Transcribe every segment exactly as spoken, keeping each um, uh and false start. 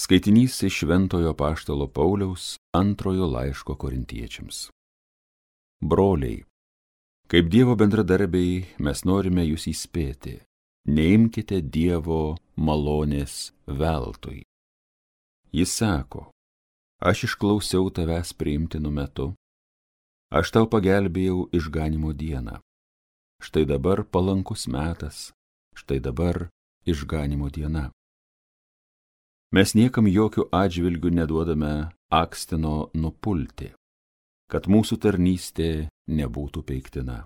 Skaitinys iš Šventojo apaštalo Pauliaus antrojo laiško korintiečiams. Broliai, kaip Dievo bendradarbiai, mes norime jūs įspėti, neimkite Dievo malonės veltui. Jis sako, aš išklausiau tavęs priimtinu metu, aš tau pagelbėjau išganimo dieną. Štai dabar palankus metas, štai dabar išganimo diena. Mes niekam jokių atžvilgių neduodame akstino nupulti, kad mūsų tarnystė nebūtų peiktina.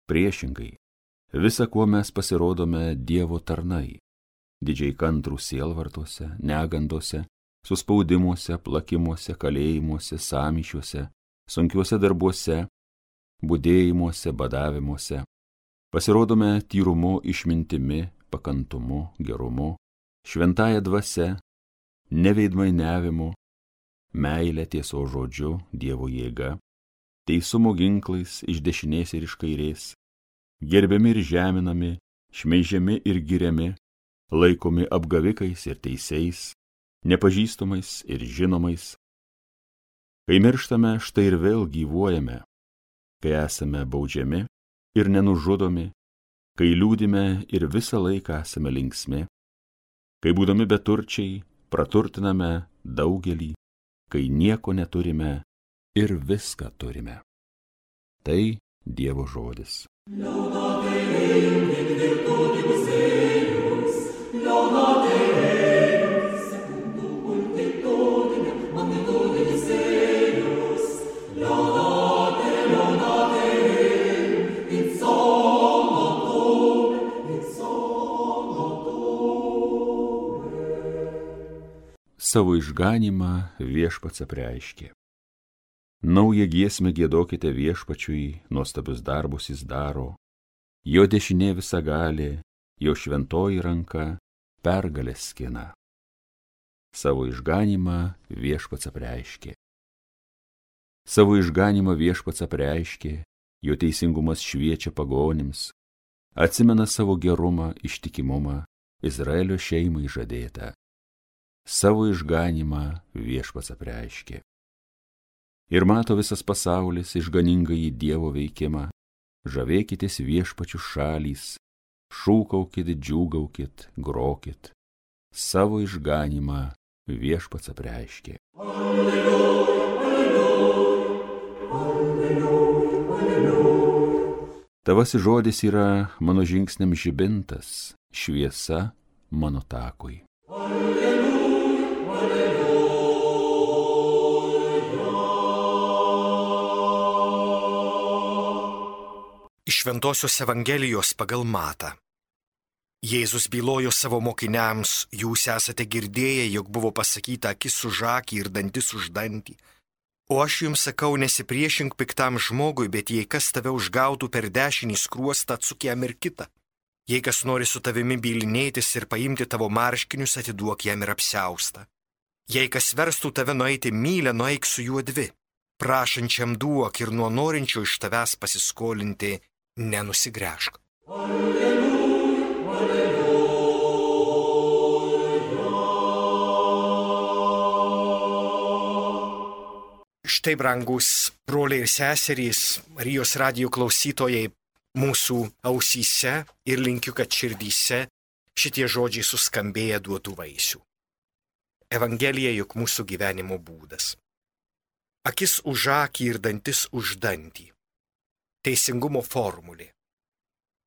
Priešingai, visa, kuo mes pasirodome Dievo tarnai, didžiai kantrų sielvartuose, negandose, suspaudimuose, plakimuose, kalėjimuose, sąmyšiuose, sunkiuose darbuose, budėjimuose, badavimuose, pasirodome tyrumu, išmintimi, pakantumu, gerumu, šventąja dvasia, neveidmainiavimu, meilė tiesos žodžiu, Dievo jėga, teisumo ginklais iš dešinės ir iš kairės, gerbiami ir žeminami, šmeižiami ir giriami, laikomi apgavikais ir teisiais, nepažįstamais ir žinomais. Kai mirštame, štai ir vėl gyvuojame, kai esame baudžiami ir nenužudomi, kai liūdime ir visą laiką esame linksmi, kai būdami beturčiai, praturtiname daugelį, kai nieko neturime ir viską turime. Tai Dievo žodis. Savo išganymą viešpats apreiškė. Naują giesmę giedokite viešpačiui, nuostabius darbus jis daro, jo dešinė visagalė, jo šventoji ranka pergalę skina. Savo išganymą viešpats apreiškė. Savo išganymą viešpats apreiškė, jo teisingumas šviečia pagonims, atsimena savo gerumą, ištikimumą, Izraelio šeimai žadėtą. Savo išganymą viešpats apreiškė. Ir mato visas pasaulis išganingąjį Dievo veikimą, žavėkitės viešpačių šalys, šūkaukit, džiūgaukit, grokit. Savo išganymą viešpats apreiškė. Alleluja, alleluja, alleluja, alleluja. Tavasis žodis yra mano žingsniam žibintas, šviesa mano takui. Iš Šventosios Evangelijos pagal Matą. Jėzus bylojo savo mokiniams, jūs esate girdėję, jog buvo pasakyta akis už akį ir dantis už dantį. O aš jums sakau, nesipriešink piktam žmogui, bet jei kas tave užgautų per dešinį skruostą, atsuk jam ir kitą. Jei kas nori su tavimi bylinėtis ir paimti tavo marškinius, atiduok jam ir apsiaustą. Jei kas verstų tave nueiti mylę, nueik su juo dvi. Prašančiam duok ir nuo norinčio iš tavęs pasiskolinti nenusigręžk. Alleluja, alleluja. Štai, brangus broliai ir seserys, Marijos radijo klausytojai, mūsų ausyse ir linkiu, kad širdyse šitie žodžiai suskambėję duotų vaisių. Evangelija juk mūsų gyvenimo būdas. Akis už akį ir dantis už dantį. Teisingumo formulė.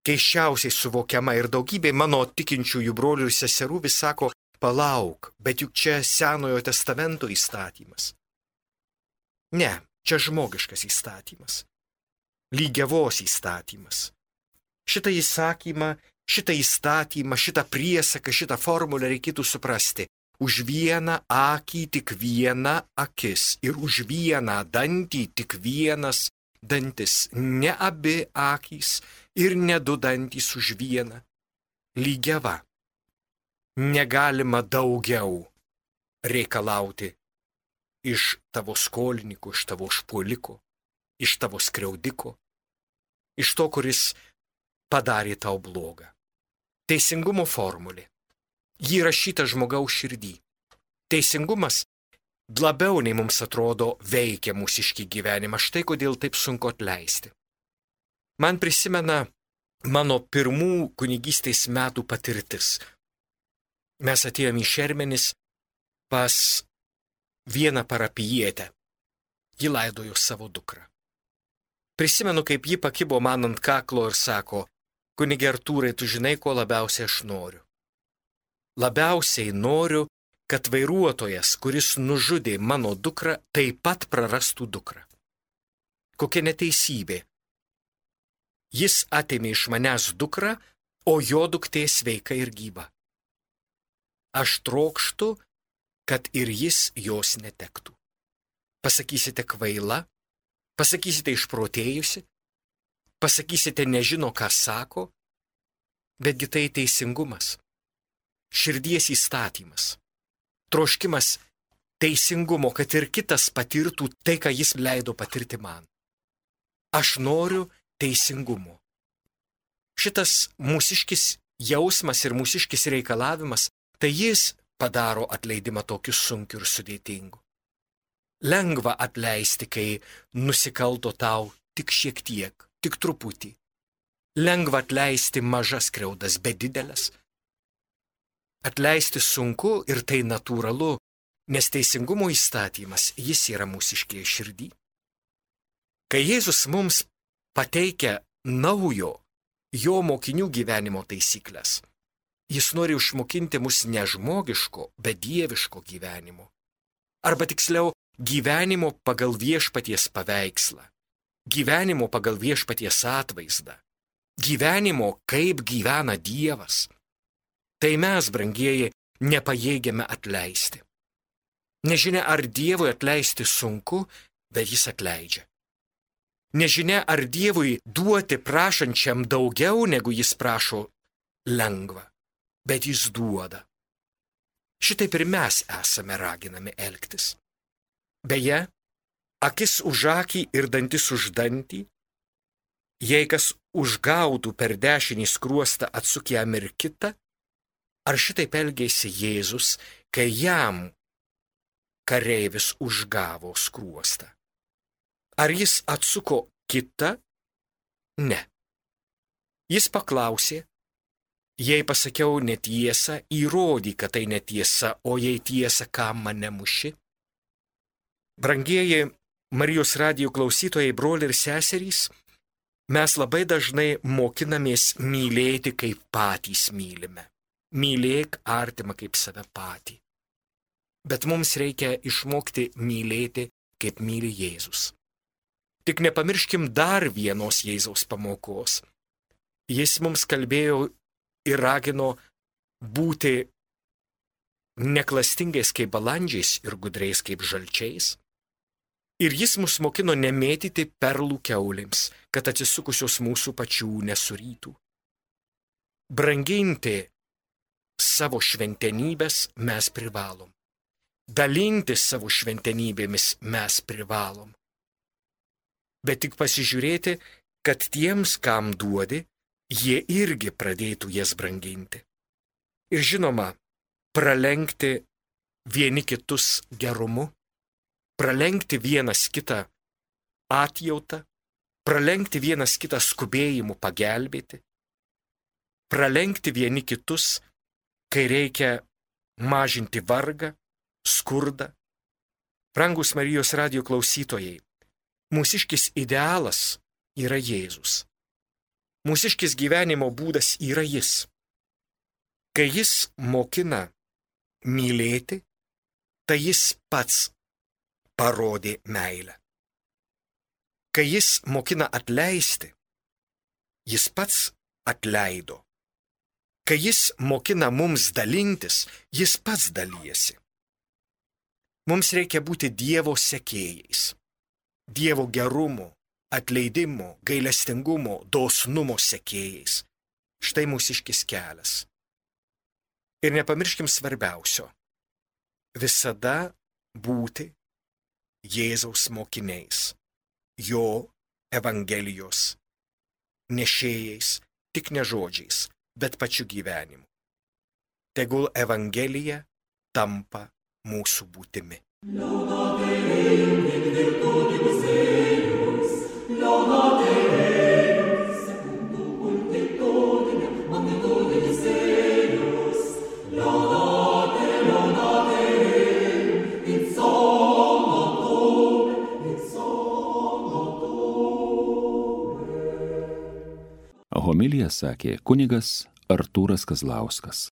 Keisčiausiai suvokiama ir daugybė mano tikinčiųjų brolių ir seserų vis sako, palauk, bet juk čia Senojo testamento įstatymas. Ne, čia žmogiškas įstatymas. Lygiavos įstatymas. Šitą įsakymą, šitą įstatymą, šitą priesaką, šitą formulę reikėtų suprasti. Už vieną akį tik viena akis ir už vieną dantį tik vienas dantis. Ne abi akys ir ne du dantys už vieną. Lygiava. Negalima daugiau reikalauti iš tavo skolininko, iš tavo užpuoliko, iš tavo skriaudiko, iš to, kuris padarė tau blogą. Teisingumo formulė. Ji rašyta žmogaus širdį. Teisingumas labiau nei mums atrodo veikia mūsiškį gyvenimą. Štai kodėl taip sunku atleisti. Man prisimena mano pirmų kunigystės metų patirtis. Mes atėjome į Šermenis pas vieną parapijietę. Ji laidojo savo dukrą. Prisimenu, kaip ji pakibo man ant kaklo ir sako: kunige Artūrai, tu žinai, ko labiausiai aš noriu. Labiausiai noriu, kad vairuotojas, kuris nužudė mano dukrą, taip pat prarastų dukrą. Kokia neteisybė. Jis atėmė iš manęs dukrą, o jo duktė sveika ir gyva. Aš trokštu, kad ir jis jos netektų. Pasakysite kvaila, pasakysite išprotėjusi, pasakysite nežino, ką sako, betgi tai teisingumas, širdies įstatymas, troškimas teisingumo, kad ir kitas patirtų tai, ką jis leido patirti man. Aš noriu teisingumo. Šitas mūsiškis jausmas ir mūsiškis reikalavimas, tai jis padaro atleidimą tokiu sunkiu ir sudėtingu. Lengva atleisti, kai nusikalto tau tik šiek tiek, tik truputį. Lengva atleisti mažas skriaudas, bet didelės. Atleisti sunku ir tai natūralu, nes teisingumo įstatymas, jis yra mūsiškėje širdį. Kai Jėzus mums pateikia naujo jo mokinių gyvenimo taisyklės, jis nori išmokinti mus ne žmogiško, bet dieviško gyvenimo. Arba tiksliau, gyvenimo pagal viešpaties paveikslą, gyvenimo pagal viešpaties atvaizdą, gyvenimo kaip gyvena Dievas. Tai mes, brangieji, nepajėgiame atleisti. Nežinia, ar Dievui atleisti sunku, bet jis atleidžia. Nežinia, ar Dievui duoti prašančiam daugiau, negu jis prašo, lengva, bet jis duoda. Šitaip ir mes esame raginami elgtis. Beje, akis už akį ir dantis už dantį, jei kas užgautų per dešinį skruostą, atsuk jam ir kitą, ar šitaip elgėsi Jėzus, kai jam kareivis užgavo skruostą? Ar jis atsuko kitą? Ne. Jis paklausė: jei pasakiau netiesą, įrodyk, kad tai netiesa, o jei tiesa, kam mane muši? Brangieji Marijos radijo klausytojai, broliai ir seserys, mes labai dažnai mokinamės mylėti, kaip patys mylime. Mylėk artimą kaip save patį. Bet mums reikia išmokti mylėti, kaip myli Jėzus. Tik nepamirškim dar vienos Jėzaus pamokos. Jis mums kalbėjo ir ragino būti neklastingais kaip balandžiais ir gudriais kaip žalčiais. Ir jis mus mokino nemėtyti perlų kiaulėms, kad atsisukusios mūsų pačių nesurytų. Branginti savo šventenybės mes privalom. Dalintis savo šventenybėmis mes privalom. Bet tik pasižiūrėti, kad tiems, kam duodi, jie irgi pradėtų jas branginti. Ir žinoma, pralenkti vieni kitus gerumu, pralenkti vienas kitą atjautą, pralenkti vienas kitą skubėjimu pagelbėti, pralenkti vieni kitus, kai reikia mažinti vargą, skurdą. Brangus Marijos radijo klausytojai, mūsiškis idealas yra Jėzus. Mūsiškis gyvenimo būdas yra jis. Kai jis mokina mylėti, tai jis pats parodė meilę. Kai jis mokina atleisti, jis pats atleido. Kai jis mokina mums dalintis, jis pats dalyjasi. Mums reikia būti Dievo sekėjais. Dievo gerumo, atleidimo, gailestingumo, dosnumo sekėjais. Štai mūsiškis kelias. Ir nepamirškim svarbiausio. Visada būti Jėzaus mokiniais, jo Evangelijos nešėjais, tik ne žodžiais, bet pačiu gyvenimu. Tegul Evangelija tampa mūsų būtimi. Homiliją sakė kunigas Artūras Kazlauskas.